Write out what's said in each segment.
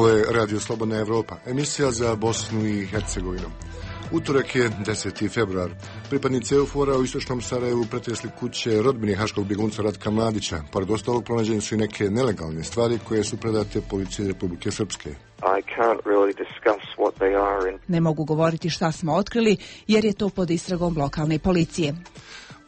Ovo je Radio Slobodna Evropa, emisija za Bosnu i Hercegovinu. Utorak je 10. februar. Pripadnici EUFOR-a u istočnom Sarajevu pretresli kuće rodbine haškog bjegunca Ratka Mladića. Pored ostalog pronađene su i neke nelegalne stvari koje su predate policiji Republike Srpske. Ne mogu govoriti šta smo otkrili jer je to pod istragom lokalne policije.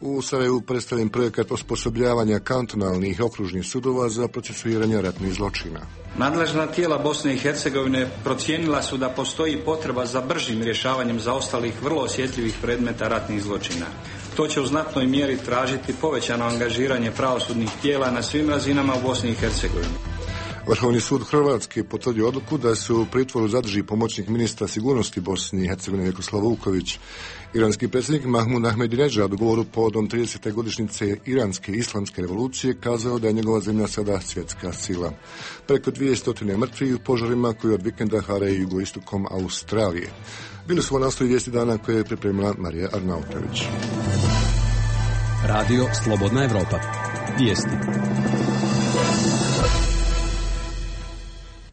U Sarajevu predstavljen projekat osposobljavanja kantonalnih i okružnih sudova za procesuiranje ratnih zločina. Nadležna tijela Bosne i Hercegovine procijenila su da postoji potreba za bržim rješavanjem zaostalih vrlo osjetljivih predmeta ratnih zločina. To će u znatnoj mjeri tražiti povećano angažiranje pravosudnih tijela na svim razinama u Bosni i Hercegovini. Vrhovni sud Hrvatske potvrdio odluku da se u pritvoru zadrži pomoćnik ministra sigurnosti Bosne i Hercegovine Vjekoslav Vuković. Iranski predsjednik Mahmud Ahmedinedžad u govoru povodom 30. godišnjice Iranske islamske revolucije kazao da je njegova zemlja sada svjetska sila. Preko 200 mrtvih u požarima koji od vikenda haraju jugoistokom Australije. Bili su ovo naslovi vijesti dana koje je pripremila Marija Arnautović. Radio Slobodna Evropa. Vijesti.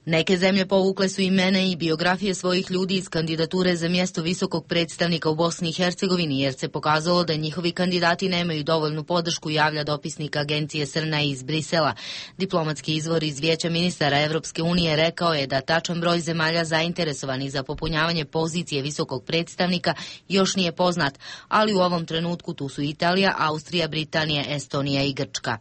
Neke zemlje povukle su imena i biografije svojih ljudi iz kandidature za mjesto visokog predstavnika u Bosni i Hercegovini, jer se pokazalo da njihovi kandidati nemaju dovoljnu podršku, javlja dopisnik agencije Srna iz Brisela. Diplomatski izvor iz Vijeća ministara Evropske unije rekao je da tačan broj zemalja zainteresovanih za popunjavanje pozicije visokog predstavnika još nije poznat, ali u ovom trenutku tu su Italija, Austrija, Britanija, Estonija i Grčka.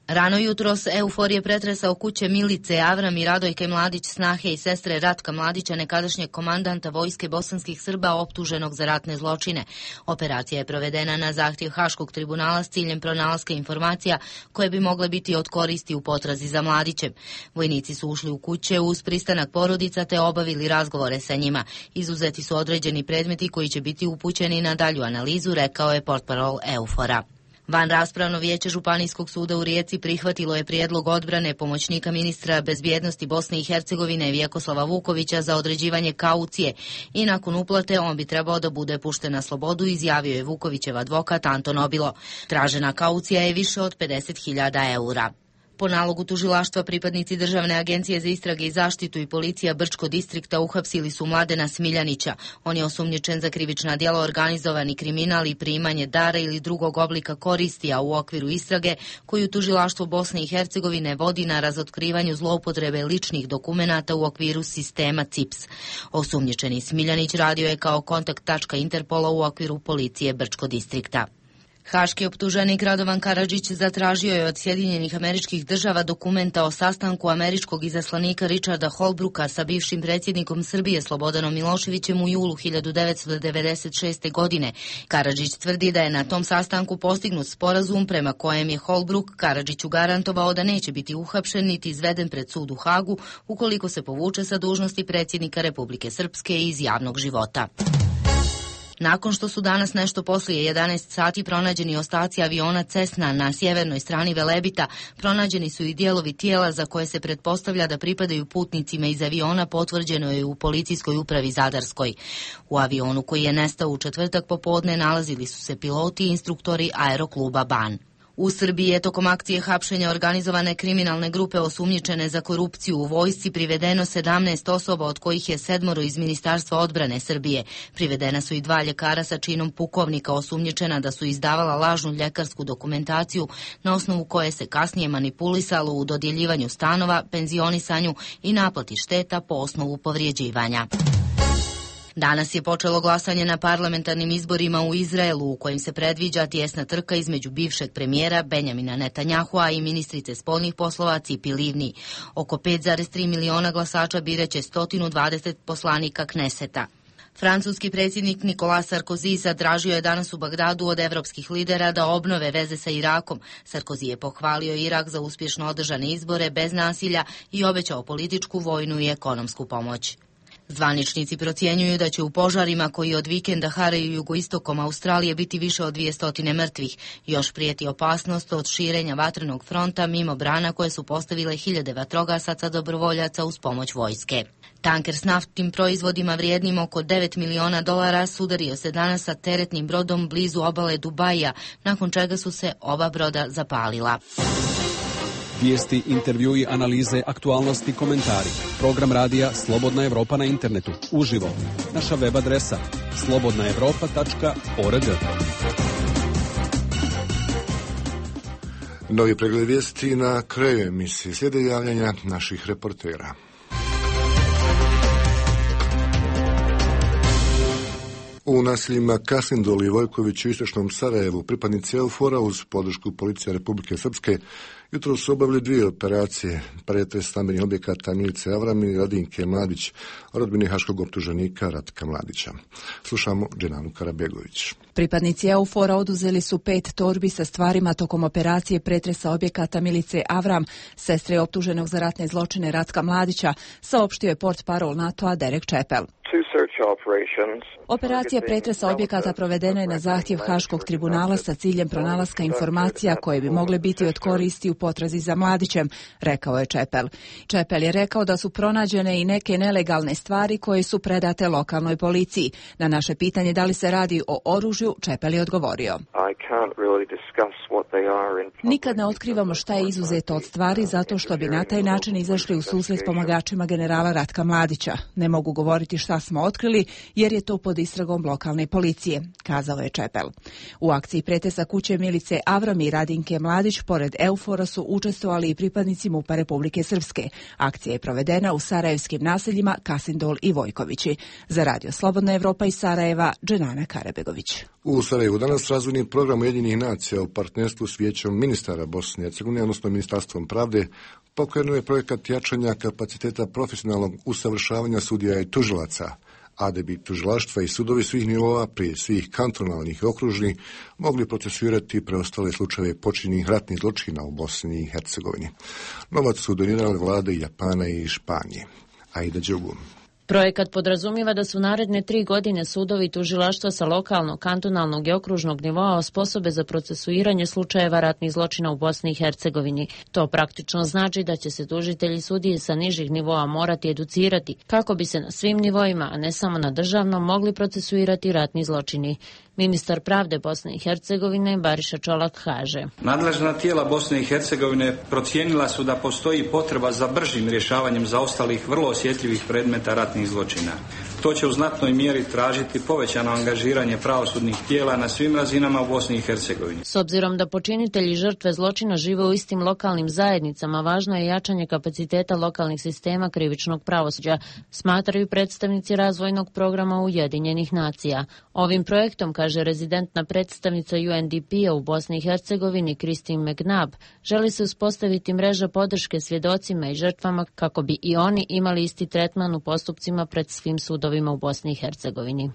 Rano jutros EUFOR je pretresao kuće Milice, Avram i Radojke Mladić, snahe i sestre Ratka Mladića, nekadašnjeg komandanta vojske bosanskih Srba optuženog za ratne zločine. Operacija je provedena na zahtjev Haškog tribunala s ciljem pronalaska informacija koje bi mogle biti od koristi u potrazi za Mladićem. Vojnici su ušli u kuće uz pristanak porodica te obavili razgovore sa njima. Izuzeti su određeni predmeti koji će biti upućeni na dalju analizu, rekao je portparol EUFOR-a. Vanraspravno vijeće Županijskog suda u Rijeci prihvatilo je prijedlog odbrane pomoćnika ministra bezbjednosti Bosne i Hercegovine Vjekoslava Vukovića za određivanje kaucije i nakon uplate on bi trebao da bude pušten na slobodu, izjavio je Vukovićev advokat Anton Obilo. Tražena kaucija je više od 50.000 eura. Po nalogu tužilaštva pripadnici Državne agencije za istrage i zaštitu i policija Brčko distrikta uhapsili su Mladena Smiljanića. On je osumnjičen za krivična djela organizovani kriminal i primanje dara ili drugog oblika koristi, a u okviru istrage koju tužilaštvo Bosne i Hercegovine vodi na razotkrivanju zloupotrebe ličnih dokumenata u okviru sistema CIPS. Osumnjičeni Smiljanić radio je kao kontakt tačka Interpola u okviru policije Brčko distrikta. Haški optuženik Radovan Karadžić zatražio je od Sjedinjenih Američkih Država dokumenta o sastanku američkog izaslanika Richarda Holbrooka sa bivšim predsjednikom Srbije Slobodanom Miloševićem u julu 1996. godine. Karadžić tvrdi da je na tom sastanku postignut sporazum prema kojem je Holbrook Karadžiću garantovao da neće biti uhapšen niti izveden pred sud u Hagu ukoliko se povuče sa dužnosti predsjednika Republike Srpske iz javnog života. Nakon što su danas nešto poslije 11 sati pronađeni ostaci aviona Cessna na sjevernoj strani Velebita, pronađeni su i dijelovi tijela za koje se pretpostavlja da pripadaju putnicima iz aviona, potvrđeno je u policijskoj upravi Zadarskoj. U avionu koji je nestao u četvrtak popodne nalazili su se piloti i instruktori aerokluba Ban. U Srbiji je tokom akcije hapšenja organizovane kriminalne grupe osumnjičene za korupciju u vojsci privedeno 17 osoba, od kojih je 7 iz Ministarstva odbrane Srbije. Privedena su i 2 ljekara sa činom pukovnika osumnjičena da su izdavala lažnu ljekarsku dokumentaciju na osnovu koje se kasnije manipulisalo u dodjeljivanju stanova, penzionisanju i naplati šteta po osnovu povrijeđivanja. Danas je počelo glasanje na parlamentarnim izborima u Izraelu, u kojim se predviđa tijesna trka između bivšeg premijera Benjamina Netanjahua i ministrice spoljnih poslova Cipi Livni. Oko 5,3 miliona glasača biraće 120 poslanika Kneseta. Francuski predsjednik Nicolas Sarkozy zatražio je danas u Bagdadu od evropskih lidera da obnove veze sa Irakom. Sarkozy je pohvalio Irak za uspješno održane izbore bez nasilja i obećao političku, vojnu i ekonomsku pomoć. Zvaničnici procjenjuju da će u požarima koji od vikenda haraju jugoistokom Australije biti više od 200 mrtvih. Još prijeti opasnost od širenja vatrenog fronta mimo brana koje su postavile hiljade vatrogasaca dobrovoljaca uz pomoć vojske. Tanker s naftnim proizvodima vrijednim oko $9 miliona sudario se danas sa teretnim brodom blizu obale Dubaija, nakon čega su se oba broda zapalila. Vijesti, intervjui, analize, aktualnosti, komentari. Program radija Slobodna Evropa na internetu. Uživo. Naša web adresa slobodnaevropa.org. Novi pregled vijesti na kraju emisije. Slijede javljanja naših reportera. U naseljima Kasindol i Vojković u istočnom Sarajevu pripadnici EUFOR-a uz podršku policije Republike Srpske jutro su obavili 2 operacije, pretres stambenih objekata Milice Avram i Radinke Mladić, rodbine haškog optuženika Ratka Mladića. Slušamo Dženanu Karabegović. Pripadnici EUFOR-a oduzeli su 5 torbi sa stvarima tokom operacije pretresa objekata Milice Avram, sestre optuženog za ratne zločine Ratka Mladića, saopštio je portparol NATO-a Derek Chappell. Operacija pretresa objekata provedena je na zahtjev Haškog tribunala sa ciljem pronalaska informacija koje bi mogle biti od koristi u potrazi za Mladićem, rekao je Chappell. Chappell je rekao da su pronađene i neke nelegalne stvari koje su predate lokalnoj policiji. Na naše pitanje da li se radi o oružju, Chappell je odgovorio: nikad ne otkrivamo šta je izuzeto od stvari zato što bi na taj način izašli u susret pomagačima generala Ratka Mladića. Ne mogu govoriti šta smo otkrili jer je to pod istragom lokalne policije, kazao je Chappell. U akciji pretresa kuće Milice Avram i Radinke Mladić pored EUFOR-a su učestvovali i pripadnici MUP-a Republike Srpske. Akcija je provedena u sarajevskim naseljima Kasindol i Vojkovići. Za Radio Slobodna Evropa iz Sarajeva, Dženana Karabegović. U Sarajevu danas razvojni program Ujedinjenih nacija u partnerstvu s Vijećem ministara Bosne i Hercegovine, odnosno Ministarstvom pravde, pokrenuo je projekat jačanja kapaciteta profesionalnog usavršavanja sudija i tužilaca, a da bi tužilaštva i sudovi svih nivoa, prije svih kantonalnih i okružnih, mogli procesuirati preostale slučajeve počinjenih ratnih zločina u Bosni i Hercegovini. Novac su donirale vlade Japana i Španije. Aida Đugu. Projekat podrazumijeva da su naredne 3 godine sudovi i tužilaštva sa lokalnog, kantonalnog i okružnog nivoa osposobe za procesuiranje slučajeva ratnih zločina u Bosni i Hercegovini. To praktično znači da će se tužitelji sudije sa nižih nivoa morati educirati kako bi se na svim nivoima, a ne samo na državnom, mogli procesuirati ratni zločini. Ministar pravde Bosne i Hercegovine Bariša Čolak kaže: nadležna tijela Bosne i Hercegovine procijenila su da postoji potreba za bržim rješavanjem zaostalih vrlo osjetljivih predmeta ratnih zločina. To će u znatnoj mjeri tražiti povećano angažiranje pravosudnih tijela na svim razinama u Bosni i Hercegovini. S obzirom da počinitelji žrtve zločina žive u istim lokalnim zajednicama, važno je jačanje kapaciteta lokalnih sistema krivičnog pravosuđa, smatraju predstavnici razvojnog programa Ujedinjenih nacija. Ovim projektom, kaže rezidentna predstavnica UNDP-a u Bosni i Hercegovini Christine McNabb, želi se uspostaviti mreža podrške svjedocima i žrtvama kako bi i oni imali isti tretman u postupcima pred svim sudovima u Bosni i Hercegovini.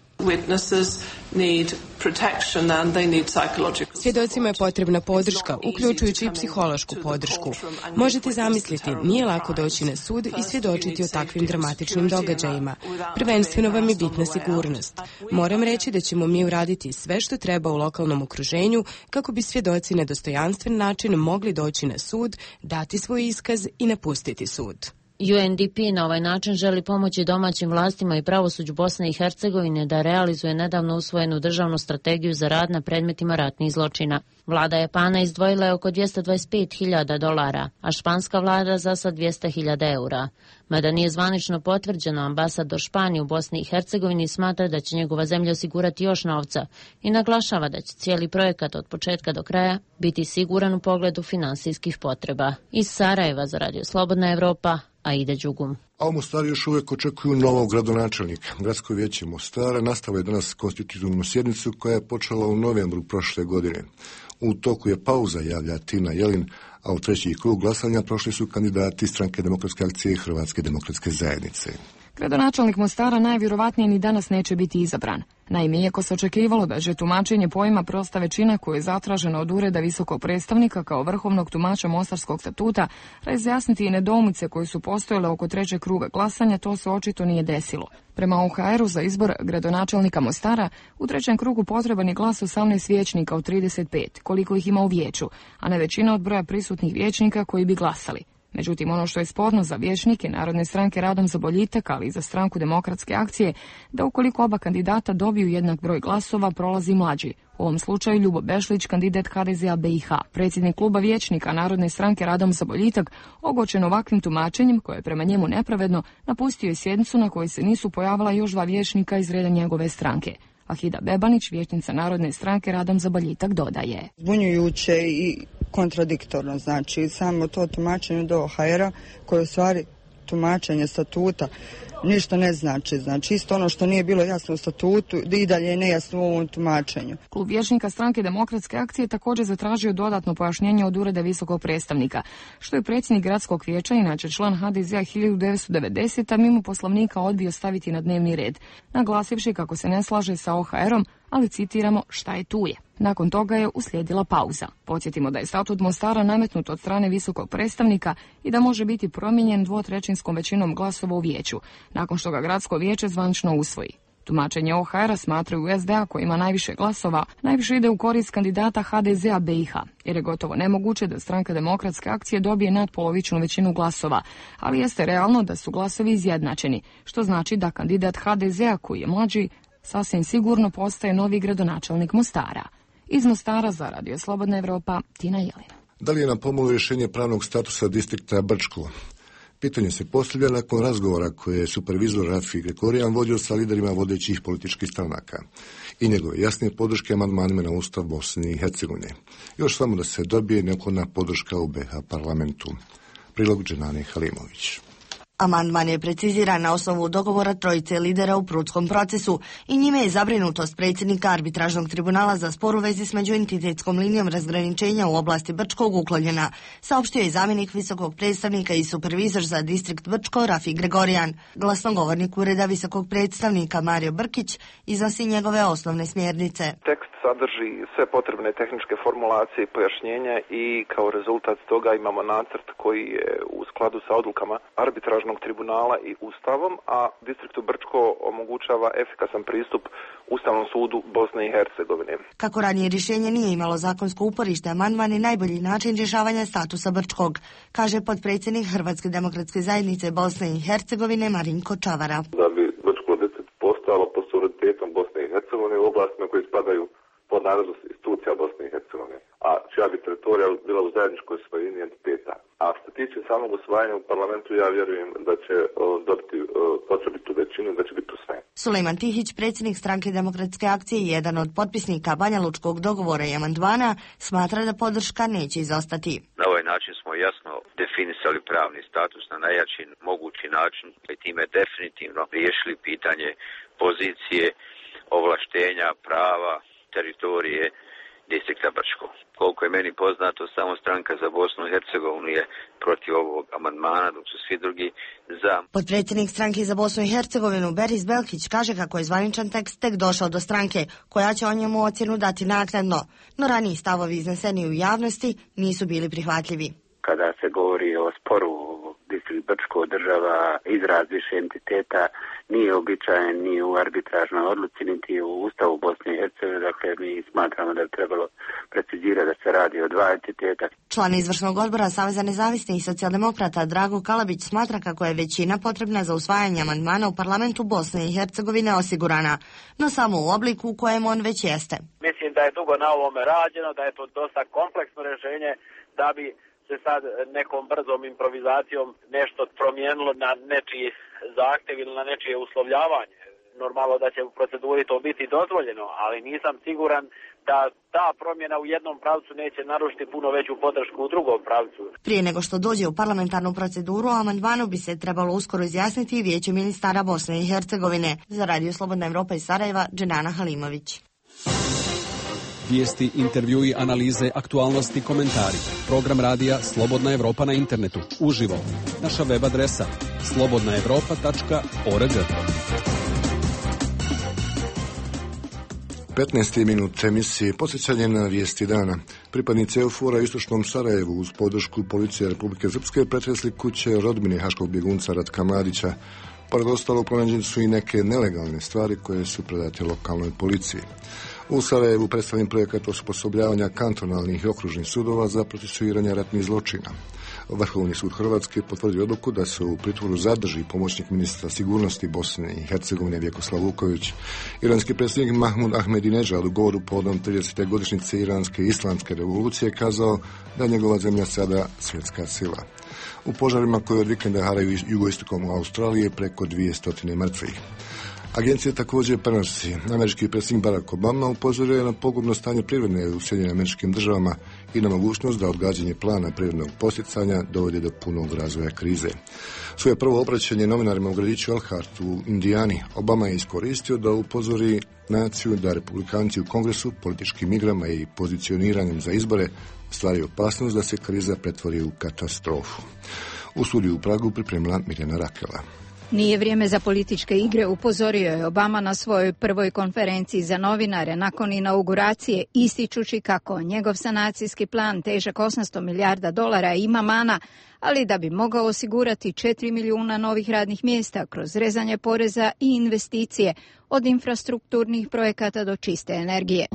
Svjedocima je potrebna podrška, uključujući i psihološku podršku. Možete zamisliti, nije lako doći na sud i svjedočiti o takvim dramatičnim događajima. Prvenstveno vam je bitna sigurnost. Moram reći da ćemo mi uraditi sve što treba u lokalnom okruženju kako bi svjedoci na dostojanstven način mogli doći na sud, dati svoj iskaz i napustiti sud. UNDP na ovaj način želi pomoći domaćim vlastima i pravosuđu Bosne i Hercegovine da realizuje nedavno usvojenu državnu strategiju za rad na predmetima ratnih zločina. Vlada Japana izdvojila je oko $225.000, a španska vlada za sad €200.000. Mada nije zvanično potvrđeno, ambasador Španije u Bosni i Hercegovini smatra da će njegova zemlja osigurati još novca i naglašava da će cijeli projekat od početka do kraja biti siguran u pogledu finansijskih potreba. Iz Sarajeva za Radio Slobodna Evropa, Aida Đugum. A u Mostaru još uvijek očekuju novog gradonačelnika. Gradsko vijeće Mostara nastavilo je danas konstitutivnu sjednicu koja je počela u novembru prošle godine. U toku je pauza, javlja Tina Jelin, a u treći krug glasanja prošli su kandidati Stranke demokratske akcije i Hrvatske demokratske zajednice. Gradonačelnik Mostara najvjerovatnije ni danas neće biti izabran. Naime, iako se očekivalo da će tumačenje pojma prosta većina koje je zatraženo od Ureda visokog predstavnika kao vrhovnog tumača Mostarskog statuta razjasniti i nedoumice koje su postojale oko trećeg kruga glasanja, to se očito nije desilo. Prema OHR-u za izbor gradonačelnika Mostara u trećem krugu potreban je glas 18 vijećnika od 35, koliko ih ima u vijeću, a ne većina od broja prisutnih vijećnika koji bi glasali. Međutim, ono što je sporno za vijećnike Narodne stranke Radom za boljitak, ali i za stranku Demokratske akcije, da ukoliko oba kandidata dobiju jednak broj glasova, prolazi mlađi. U ovom slučaju Ljubo Bešlić, kandidat HDZ-a BiH. Predsjednik kluba vijećnika Narodne stranke Radom za boljitak, ogorčen ovakvim tumačenjem, koje je prema njemu nepravedno, napustio je sjednicu na kojoj se nisu pojavila još dva vijećnika iz reda njegove stranke. Ahida Bebanić, vijećnica Narodne stranke Radom za boljitak, dodaje. Zbunjujuće i kontradiktorno, znači samo to tumačenje do OHR-a koje je u stvari tumačenje statuta ništa ne znači. Znači isto ono što nije bilo jasno u statutu i dalje je nejasno u ovom tumačenju. Klub vijećnika stranke Demokratske akcije također zatražio dodatno pojašnjenje od Ureda visokog predstavnika, što je predsjednik gradskog vijeća, inače član HDZ-a 1990, mimo poslovnika odbio staviti na dnevni red, naglasivši kako se ne slaže sa OHR-om, ali citiramo šta je tu je. Nakon toga je uslijedila pauza. Podsjetimo da je statut Mostara nametnut od strane visokog predstavnika i da može biti promijenjen 2/3 većinom glasova u vijeću, nakon što ga gradsko vijeće zvanično usvoji. Tumačenje OHR-a smatraju SDA, koji ima najviše glasova, najviše ide u korist kandidata HDZ-a BiH, jer je gotovo nemoguće da stranka Demokratske akcije dobije nadpolovičnu većinu glasova, ali jeste realno da su glasovi izjednačeni, što znači da kandidat HDZ-a, koji je mlađi, sasvim sigurno postaje novi gradonačelnik Mostara. Iz Mostara za Radio Slobodna Evropa, Tina Jelina. Da li je na pomolu rješenje pravnog statusa distrikta Brčko? Pitanje se postavlja nakon razgovora koje je supervizor Rafi Gregorijan vodio sa liderima vodećih političkih stranaka i njegove jasne podrške amandmanima na Ustav Bosne i Hercegovine. Još samo da se dobije neophodna podrška u BiH parlamentu. Prilog Dženane Halimović. Amandman je preciziran na osnovu dogovora trojice lidera u prutskom procesu i njime je zabrinutost predsjednika arbitražnog tribunala za spor u vezi s međuentitetskom linijom razgraničenja u oblasti Brčkog uklonjena, saopštio je zamjenik visokog predstavnika i supervizor za distrikt Brčko Rafi Gregorijan. Glasnogovornik Ureda visokog predstavnika Mario Brkić iznosi njegove osnovne smjernice. Tekst sadrži sve potrebne tehničke formulacije i pojašnjenja i kao rezultat toga imamo nacrt koji je u skladu sa odlukama arbitražnog tribunala i Ustavom, a distriktu Brčko omogućava efikasan pristup Ustavnom sudu Bosne i Hercegovine. Kako ranije rješenje nije imalo zakonsko uporište, amandman je najbolji način rješavanja statusa Brčkog, kaže potpredsjednik Hrvatske demokratske zajednice Bosne i Hercegovine Marinko Čavara. Da bi Brčko distrikt postalo pod suverenitetom Bosne i Hercegovine u oblastima koje spadaju pod nadležnost institucija Bosne i Hercegovine, a čija bi teritorija bila u zajedničkoj svojini entiteta. A što se tiče samog usvajanja u parlamentu, ja vjerujem da će dobiti potrebitu većinu, da će biti usvojen. Sulejman Tihić, predsjednik stranke Demokratske akcije i jedan od potpisnika Banjalučkog dogovora i amandmana, smatra da podrška neće izostati. Na ovaj način smo jasno definisali pravni status na najjači mogući način i time definitivno riješili pitanje pozicije, ovlaštenja, prava, teritorije distrikta Brčko. Koliko je meni poznato, samo stranka za Bosnu i Hercegovinu je protiv ovog amandmana, dok su svi drugi za. Podpredsjednik stranke za Bosnu i Hercegovinu Beris Belkić kaže kako je zvaničan tekst tek došao do stranke, koja će o njemu ocjenu dati naknadno, no raniji stavovi izneseni u javnosti nisu bili prihvatljivi. Kada se govori o sporu distrikt Brčko država izraz više entiteta, nije običajen ni u arbitražnoj odluci, niti u Ustavu Bosne i Hercegovine, dakle mi smatramo da bi trebalo precizirati da se radi o dva entiteta. Član izvršnog odbora Saveza nezavisnih i socijaldemokrata Drago Kalabić smatra kako je većina potrebna za usvajanje amandmana u parlamentu Bosne i Hercegovine osigurana, no samo u obliku u kojem on već jeste. Mislim da je dugo na ovome rađeno, da je to dosta kompleksno rješenje, da bi se sad nekom brzom improvizacijom nešto promijenilo na nečiji zahtjev ili na nečije uslovljavanje. Normalno da će u proceduri to biti dozvoljeno, ali nisam siguran da ta promjena u jednom pravcu neće narušiti puno veću podršku u drugom pravcu. Prije nego što dođe u parlamentarnu proceduru, o amandmanu bi se trebalo uskoro izjasniti i Vijeće ministara Bosne i Hercegovine. Za Radio Slobodna Evropa iz Sarajeva, Dženana Halimović. Vijesti, intervjui, analize, aktualnosti, komentari. Program radija Slobodna Evropa na internetu. Uživo. Naša web adresa slobodnaevropa.org. 15. minut emisije posjećanje na vijesti dana. Pripadnici EUFOR-a u istočnom Sarajevu uz podršku policije Republike Srpske pretresli kuće rodbine haškog bjegunca Ratka Mladića. Pored ostalog pronađene su i neke nelegalne stvari koje su predate lokalnoj policiji. U Sarajevu predstavljen projekat osposobljavanja kantonalnih i okružnih sudova za procesuiranje ratnih zločina. Vrhovni sud Hrvatske potvrdio odluku da se u pritvoru zadrži pomoćnik ministra sigurnosti Bosne i Hercegovine Vjekoslav Vuković. Iranski predsjednik Mahmud Ahmedinejad u govoru povodom 30. godišnjice Iranske islamske revolucije kazao da je njegova zemlja sada svjetska sila. U požarima koji od vikenda haraju jugoistokom Australije preko 200 mrtvih. Agencija također prenosi. Američki predsjednik Barack Obama upozorio je na pogubno stanje privrede u Sjedinjenim Američkim Državama i na mogućnost da odgađanje plana privrednog posticanja dovodi do punog razvoja krize. Svoje prvo obraćanje novinarima u gradiću Elkhart u Indijani Obama je iskoristio da upozori naciju da republikanci u Kongresu političkim igrama i pozicioniranjem za izbore stvaraju opasnost da se kriza pretvori u katastrofu. U studiju u Pragu pripremila Mirjana Rakela. Nije vrijeme za političke igre, upozorio je Obama na svojoj prvoj konferenciji za novinare nakon inauguracije, ističući kako njegov sanacijski plan težak $800 milijarda ima mana, ali da bi mogao osigurati 4 milijuna novih radnih mjesta kroz rezanje poreza i investicije, od infrastrukturnih projekata do čiste energije.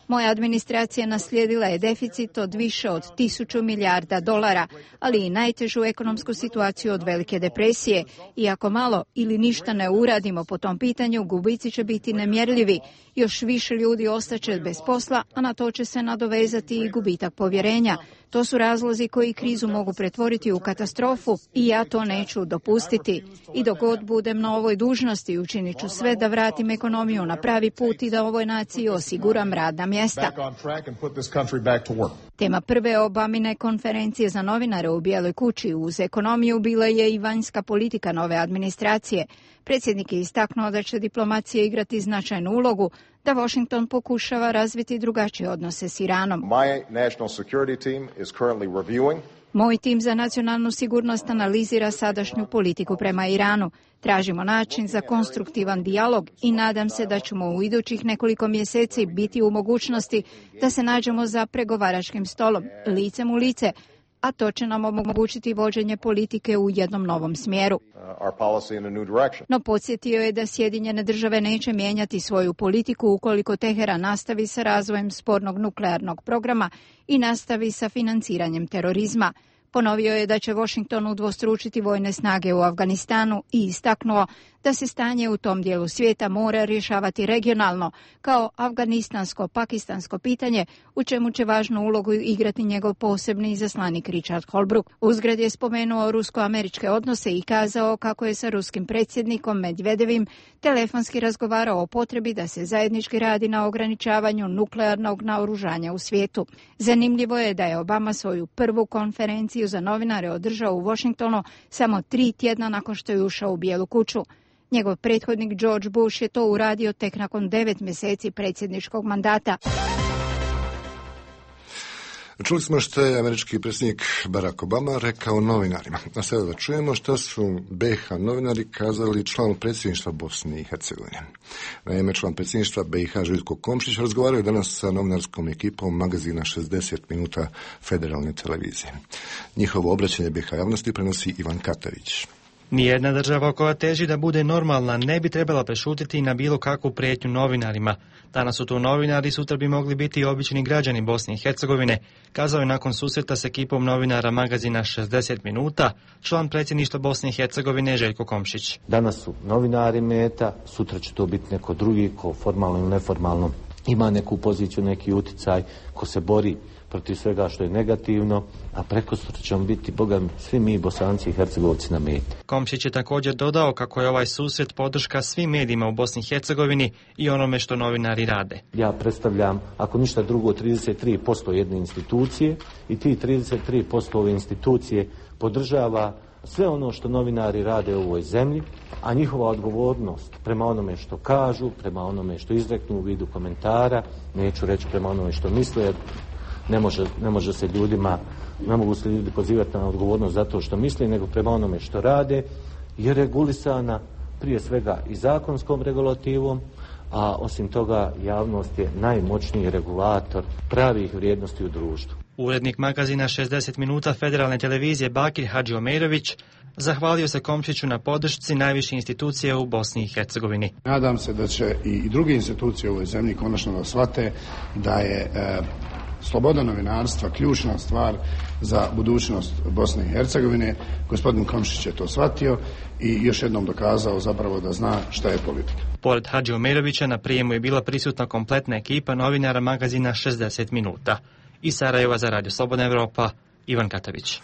Moja administracija naslijedila je deficit od više od $1000 milijarda, ali i najtežu ekonomsku situaciju od Velike depresije. I ako malo ili ništa ne uradimo po tom pitanju, gubici će biti nemjerljivi. Još više ljudi ostaće bez posla, a na to će se nadovezati i gubitak povjerenja. To su razlozi koji krizu mogu pretvoriti u katastrofu i ja to neću dopustiti. I dok god budem na ovoj dužnosti, učinit ću sve da vratim ekonomiju na pravi put i da ovoj naciji osiguram radna mjesta. Tema prve Obamine konferencije za novinare u Bijeloj kući uz ekonomiju bila je i vanjska politika nove administracije. Predsjednik je istaknuo da će diplomacija igrati značajnu ulogu, da Washington pokušava razviti drugačije odnose s Iranom. Moj tim za nacionalnu sigurnost analizira sadašnju politiku prema Iranu. Tražimo način za konstruktivan dijalog i nadam se da ćemo u idućih nekoliko mjeseci biti u mogućnosti da se nađemo za pregovaračkim stolom, licem u lice, a to će nam omogućiti vođenje politike u jednom novom smjeru. No podsjetio je da Sjedinjene Države neće mijenjati svoju politiku ukoliko Teheran nastavi sa razvojem spornog nuklearnog programa i nastavi sa financiranjem terorizma. Ponovio je da će Washington udvostručiti vojne snage u Afganistanu i istaknuo da se stanje u tom dijelu svijeta mora rješavati regionalno, kao afganistansko-pakistansko pitanje, u čemu će važnu ulogu igrati njegov posebni izaslanik Richard Holbrooke. Uzgred je spomenuo rusko-američke odnose i kazao kako je sa ruskim predsjednikom Medvedevim telefonski razgovarao o potrebi da se zajednički radi na ograničavanju nuklearnog naoružanja u svijetu. Zanimljivo je da je Obama svoju prvu konferenciju za novinare održao u Washingtonu samo 3 tjedna nakon što je ušao u Bijelu kuću. Njegov prethodnik George Bush je to uradio tek nakon 9 mjeseci predsjedničkog mandata. Čuli smo što je američki predsjednik Barack Obama rekao novinarima. A sada da čujemo što su BiH novinari kazali članu predsjedništva Bosne i Hercegovine. Naime, član predsjedništva BiH Željko Komšić razgovaraju danas sa novinarskom ekipom magazina 60 minuta Federalne televizije. Njihovo obraćanje BiH javnosti prenosi Ivan Katavić. Nijedna država koja teži da bude normalna ne bi trebala prešutiti na bilo kakvu prijetnju novinarima. Danas su to novinari, sutra bi mogli biti i obični građani Bosne i Hercegovine, kazao je nakon susreta s ekipom novinara magazina 60 minuta član predsjedništva Bosne i Hercegovine Željko Komšić. Danas su novinari meta, sutra će to biti neko drugi ko formalno ili neformalno ima neku poziciju, neki uticaj, ko se bori protiv svega što je negativno, a prekosutra ćemo biti, Boga, svi mi Bosanci i Hercegovci na meti. Komšić je također dodao kako je ovaj susret podrška svim medijima u Bosni i Hercegovini i onome što novinari rade. Ja predstavljam, ako ništa drugo, 33% jedne institucije i ti 33% ove institucije podržava sve ono što novinari rade u ovoj zemlji, a njihova odgovornost prema onome što kažu, prema onome što izreknu u vidu komentara, neću reći prema onome što misle, ne može se ljudima, ne mogu se ljudi pozivati na odgovornost zato što misle, nego prema onome što rade, je regulisana prije svega i zakonskom regulativom, a osim toga javnost je najmoćniji regulator pravih vrijednosti u društvu. Urednik magazina 60 minuta Federalne televizije Bakir Hadžiomerović zahvalio se Komšiću na podršci najviše institucije u Bosni i Hercegovini. Nadam se da će i druge institucije u ovoj zemlji konačno da shvate da je sloboda novinarstva ključna stvar za budućnost Bosne i Hercegovine. Gospodin Komšić je to shvatio i još jednom dokazao zapravo da zna šta je politika. Pored Hadži Omerovića na prijemu je bila prisutna kompletna ekipa novinara magazina 60 minuta. Iz Sarajeva za Radio Slobodna Evropa, Ivan Katavić.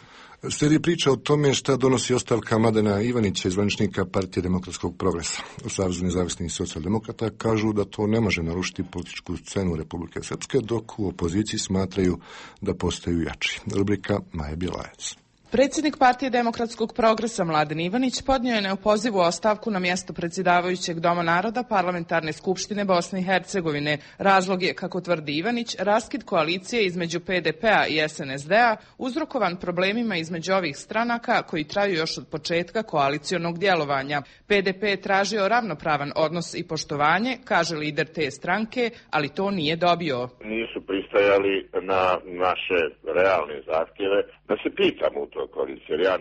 Slijedi priča o tome šta donosi ostavka Mladena Ivanića, zvaničnika Partije demokratskog progresa. U Savezu nezavisnih socijaldemokrata kažu da to ne može narušiti političku scenu Republike Srpske, dok u opoziciji smatraju da postaju jači. Rubrika Maja Bjelajac. Predsjednik Partije demokratskog progresa Mladen Ivanić podnio je neopozivu ostavku na mjesto predsjedavajućeg Doma naroda Parlamentarne skupštine Bosne i Hercegovine. Razlog je, kako tvrdi Ivanić, raskid koalicije između PDP-a i SNSD-a uzrokovan problemima između ovih stranaka koji traju još od početka koalicionog djelovanja. PDP je tražio ravnopravan odnos i poštovanje, kaže lider te stranke, ali to nije dobio. Nisu pristajali na naše realne zahtjeve da se pitamo u toj koaliciji, jer ja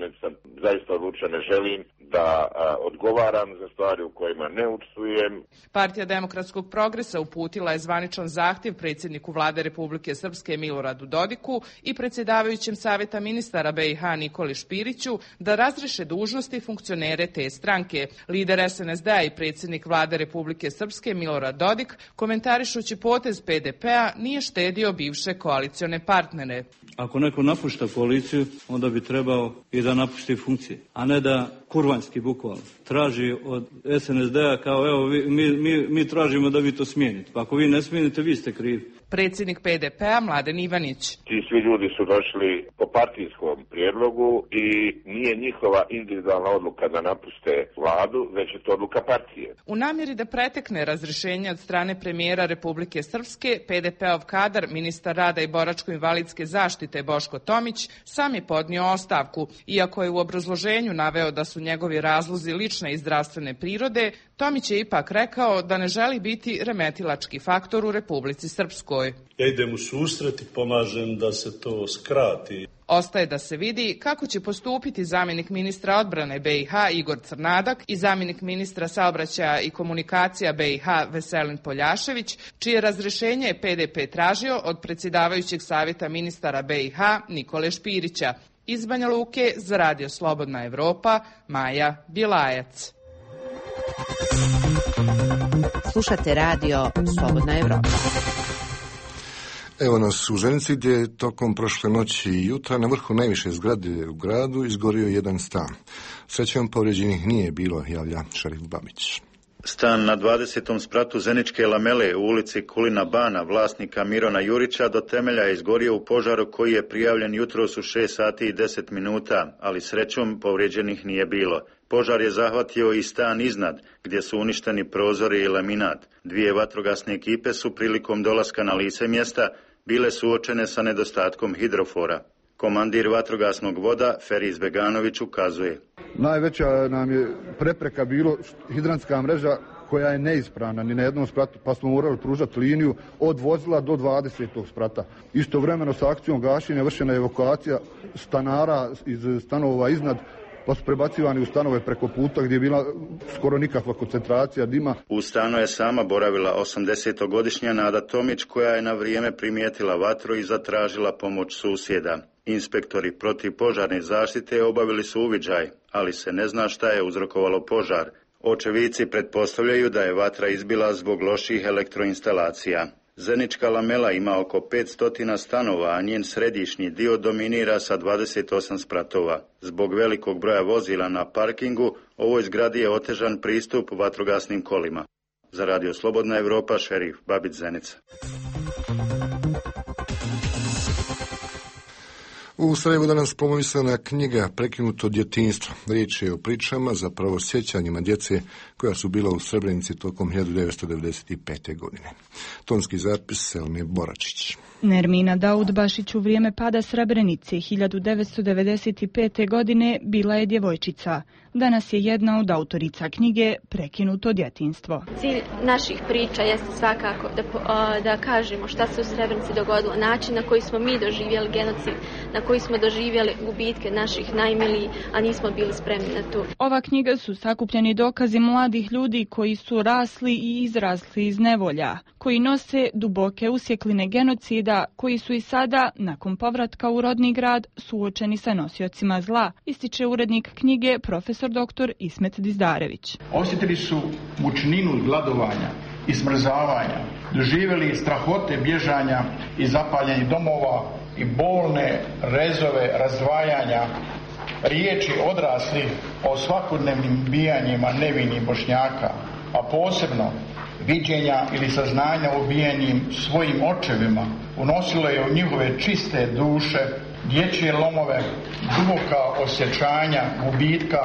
zaista odlučno ne želim da odgovaram za stvari u kojima ne učestvujem. Partija demokratskog progresa uputila je zvaničan zahtjev predsjedniku Vlade Republike Srpske Miloradu Dodiku i predsjedavajućem Savjeta ministara BiH Nikoli Špiriću da razriješe dužnosti funkcionere te stranke. Lider SNSD-a i predsjednik Vlade Republike Srpske Milorad Dodik, komentarišući potez PDP-a, nije štedio bivše koalicione partnere. Ako neko napušta koaliciju, onda bi trebao i da napušti funkcije, a ne da kurvanski bukvalno traži od SNSD-a kao evo mi tražimo da vi to smijenite. Pa ako vi ne smijenite, vi ste krivi. Predsjednik PDP-a Mladen Ivanić. Ti svi ljudi su došli po partijskom prijedlogu i nije njihova individualna odluka da napuste vladu, već je to odluka partije. U namjeri da pretekne razrješenje od strane premijera Republike Srpske, PDP-ov kadar, ministar rada i boračko-invalidske zaštite Boško Tomić, sam je podnio ostavku. Iako je u obrazloženju naveo da su njegovi razlozi lične i zdravstvene prirode, Tomić je ipak rekao da ne želi biti remetilački faktor u Republici Srpskoj. Ja idem u susret i pomažem da se to skrati. Ostaje da se vidi kako će postupiti zamjenik ministra odbrane BiH Igor Crnadak i zamjenik ministra saobraćaja i komunikacija BiH Veselin Poljašević, čije razrješenje je PDP tražio od predsjedavajućeg savjeta ministara BiH Nikole Špirića. Iz Banja Luke za Radio Slobodna Evropa, Maja Bjelajac. Slušate Radio Slobodna Evropa. Evo nas u Ženici gdje je tokom prošle noći i jutra na vrhu najviše zgrade u gradu izgorio jedan stan. Srećom povrijeđenih nije bilo, javlja šerif Babić. Stan na 20. spratu Zeničke lamele u ulici Kulina Bana vlasnika Mirona Jurića do temelja je izgorio u požaru koji je prijavljen jutros u 6 sati i 10 minuta, ali srećom povrijeđenih nije bilo. Požar je zahvatio i stan iznad, gdje su uništeni prozori i laminat. 2 vatrogasne ekipe su prilikom dolaska na lice mjesta bile suočene sa nedostatkom hidrofora. Komandir vatrogasnog voda Feriz Beganović ukazuje. Najveća nam je prepreka bilo hidrantska mreža koja je neispravna ni na jednom spratu, pa smo morali pružati liniju od vozila do 20. sprata. Istovremeno sa akcijom gašenja vršena je evakuacija stanara iz stanova iznad, pa su prebacivani u stanove preko puta gdje je bila skoro nikakva koncentracija dima. U stanu je sama boravila 80-godišnja Nada Tomić koja je na vrijeme primijetila vatru i zatražila pomoć susjeda. Inspektori protivpožarne zaštite obavili su uviđaj, ali se ne zna šta je uzrokovalo požar. Očevici pretpostavljaju da je vatra izbila zbog loših elektroinstalacija. Zenička lamela ima oko 500 stanova, a njen središnji dio dominira sa 28 spratova. Zbog velikog broja vozila na parkingu, ovoj zgradi je otežan pristup vatrogasnim kolima. Za Radio Slobodna Evropa, šerif Babić Zenica. U Sarajevu danas promovisana knjiga Prekinuto djetinjstvo. Riječ je o pričama, zapravo sjećanjima djece koja su bila u Srebrenici tokom 1995. godine. Tonski zapis Selme Boračić. Nermina Daudbašić u vrijeme pada Srebrenice 1995. godine bila je djevojčica. Danas je jedna od autorica knjige Prekinuto djetinjstvo. Cilj naših priča jeste svakako da kažemo šta se u Srebrenici dogodilo, način na koji smo mi doživjeli genocid, na koji smo doživjeli gubitke naših najmilijih, a nismo bili spremni na to. Ova knjiga su sakupljeni dokazi mladih ljudi koji su rasli i izrasli iz nevolja, koji nose duboke usjekline genocida, koji su i sada, nakon povratka u rodni grad, suočeni sa nosiocima zla, ističe urednik knjige profesor dr. Ismet Dizdarević. Osjetili su mučninu gladovanja i smrzavanja, doživjeli strahote bježanja i zapaljenih domova i bolne rezove razdvajanja, riječi odraslih o svakodnevnim bijanjima nevinih Bošnjaka, a posebno viđenja ili saznanja o ubijanjim svojim očevima, unosilo je u njihove čiste duše dječje lomove, duboka osjećanja gubitka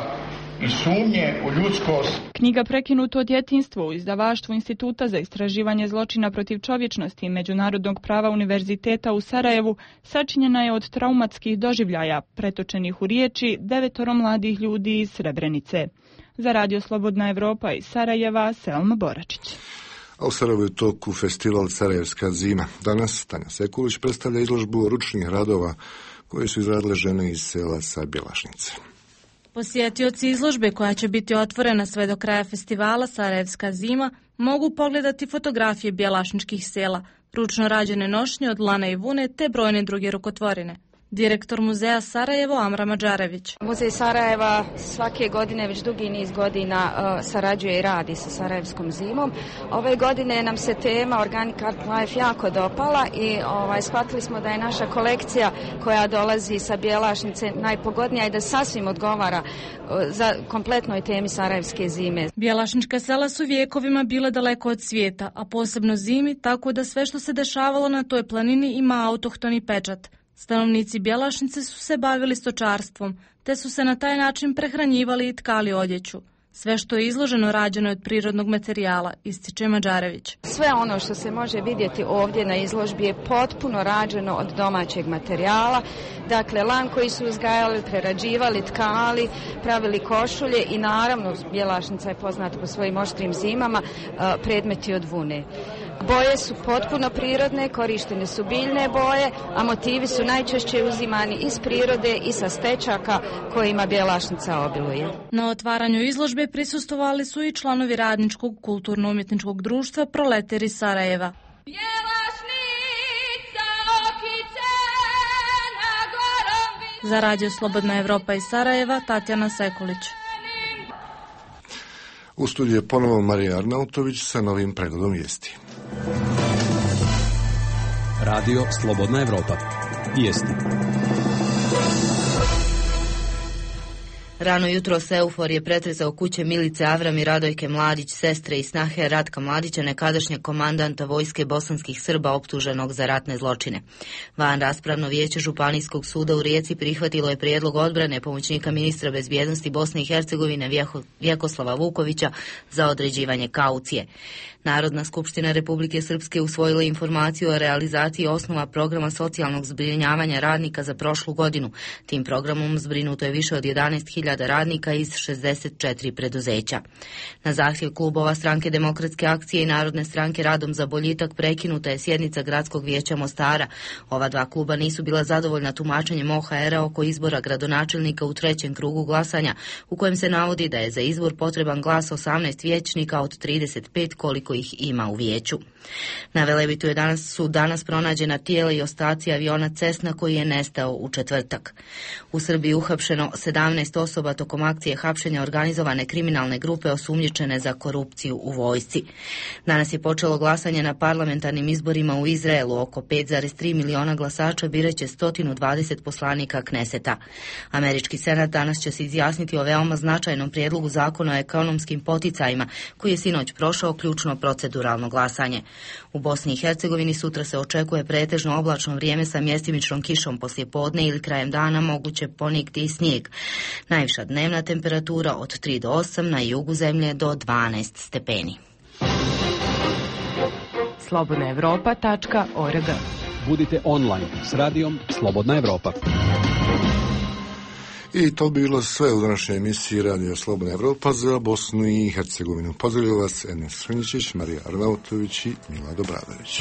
i sumnje u ljudskost. Knjiga Prekinuto djetinjstvo u izdavaštvu Instituta za istraživanje zločina protiv čovječnosti i međunarodnog prava Univerziteta u Sarajevu sačinjena je od traumatskih doživljaja pretočenih u riječi 9 mladih ljudi iz Srebrenice. Za Radio Slobodna Evropa iz Sarajeva, Selma Boračić. A u Sarajevu je toku festival Sarajevska zima. Danas Tanja Sekulić predstavlja izložbu ručnih radova koje su izradile žene iz sela sa Bjelašnice. Posjetioci izložbe, koja će biti otvorena sve do kraja festivala Sarajevska zima, mogu pogledati fotografije bjelašničkih sela, ručno rađene nošnje od lana i vune te brojne druge rukotvorine. Direktor muzeja Sarajevo Amra Mađarević. Muzej Sarajeva svake godine već dugi niz godina sarađuje i radi sa Sarajevskom zimom. Ove godine nam se tema Organic Art Life jako dopala i shvatili smo da je naša kolekcija koja dolazi sa Bjelašnice najpogodnija i da sasvim odgovara za kompletnoj temi Sarajevske zime. Bjelašnička sela su vijekovima bile daleko od svijeta, a posebno zimi, tako da sve što se dešavalo na toj planini ima autohtoni pečat. Stanovnici Bjelašnice su se bavili stočarstvom, te su se na taj način prehranjivali i tkali odjeću. Sve što je izloženo rađeno je od prirodnog materijala, ističe Mađarević. Sve ono što se može vidjeti ovdje na izložbi je potpuno rađeno od domaćeg materijala. Dakle, lan koji su uzgajali, prerađivali, tkali, pravili košulje i naravno, Bjelašnica je poznata po svojim oštrim zimama, predmeti od vune. Boje su potpuno prirodne, korištene su biljne boje, a motivi su najčešće uzimani iz prirode i sa stečaka kojima Bjelašnica obiluje. Na otvaranju izložbe prisustvovali su i članovi radničkog kulturno-umjetničkog društva Proleteri Sarajeva. Za Radio Slobodna Evropa iz Sarajeva, Tatjana Sekulić. U studiju je ponovo Marija Arnautović sa novim pregledom vijesti. Radio Slobodna Evropa. Vijesti. Rano jutro se euforije pretresao kuće Milice Avram i Radojke Mladić, sestre i snahe Ratka Mladića, nekadašnjeg komandanta vojske bosanskih Srba optuženog za ratne zločine. Van raspravno vijeće Županijskog suda u Rijeci prihvatilo je prijedlog odbrane pomoćnika ministra bezbjednosti Bosne i Hercegovine Vjekoslava Vukovića za određivanje kaucije. Narodna skupština Republike Srpske usvojila informaciju o realizaciji osnova programa socijalnog zbrinjavanja radnika za prošlu godinu. Tim programom zbrinuto je više od 11.000 radnika iz 64 preduzeća. Na zahtjev klubova Stranke demokratske akcije i Narodne stranke Radom za boljitak prekinuta je sjednica Gradskog vijeća Mostara. Ova dva kluba nisu bila zadovoljna tumačenjem OHR-a oko izbora gradonačelnika u trećem krugu glasanja, u kojem se navodi da je za izbor potreban glas 18 vijećnika od 35 koliko ih ima u vijeću. Na Velebitu su danas pronađena tijela i ostaci aviona Cessna koji je nestao u četvrtak. U Srbiji uhapšeno 17 osoba tokom akcije hapšenja organizovane kriminalne grupe osumnjičene za korupciju u vojsci. Danas je počelo glasanje na parlamentarnim izborima u Izraelu. Oko 5,3 miliona glasača biraće 120 poslanika Kneseta. Američki senat danas će se izjasniti o veoma značajnom prijedlogu zakona o ekonomskim poticajima koji je sinoć prošao ključno proceduralno glasanje. U Bosni i Hercegovini sutra se očekuje pretežno oblačno vrijeme sa mjestimičnom kišom poslije podne ili krajem dana moguće ponegdje i snijeg. Najviša dnevna temperatura od 3 do 8, na jugu zemlje do 12 stepeni. slobodnaevropa.org. Budite online s radijom Slobodna Evropa. I to bi bilo sve u današnjoj emisiji Radio Slobodna Evropa za Bosnu i Hercegovinu. Pozdravljaju vas Enes Hrničić, Marija Arnautović i Mila Dobradović.